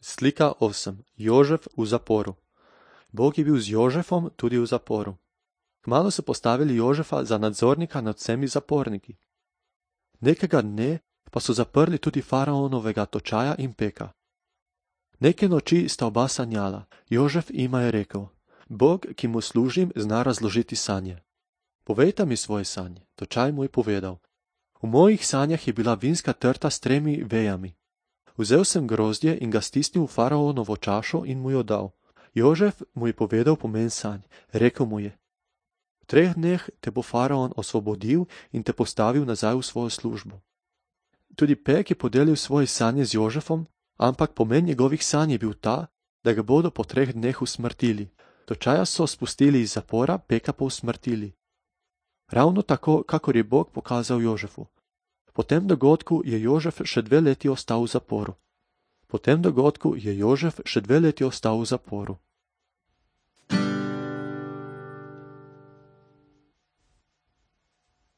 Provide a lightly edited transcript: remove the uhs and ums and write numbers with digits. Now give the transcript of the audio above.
Slika 8. Jožef v zaporu. Bog je bil z Jožefom tudi v zaporu. Kmalu so postavili Jožefa za nadzornika nad vsemi zaporniki. Nekega dne pa so zaprli tudi faraonovega točaja in peka. Neke noči sta oba sanjala. Jožef jima je rekel: Bog, ki mu služim, zna razložiti sanje. Povejta mi svoje sanje. Točaj mu je povedal: V mojih sanjah je bila vinska trta s 3 vejami. Vzel sem grozdje in ga stisnil v faraonovo čašo in mu jo dal. Jožef mu je povedal pomen sanj. Rekel mu je: V 3 dneh te bo faraon osvobodil in te postavil nazaj v svojo službo. Tudi pek je podelil svoje sanje z Jožefom, ampak pomen njegovih sanj je bil ta, da ga bodo po 3 dneh usmrtili. Točaja so spustili iz zapora, peka pa usmrtili. Ravno tako, kakor je Bog pokazal Jožefu. Po tem dogodku je Jožef še 2 leti ostal v zaporu.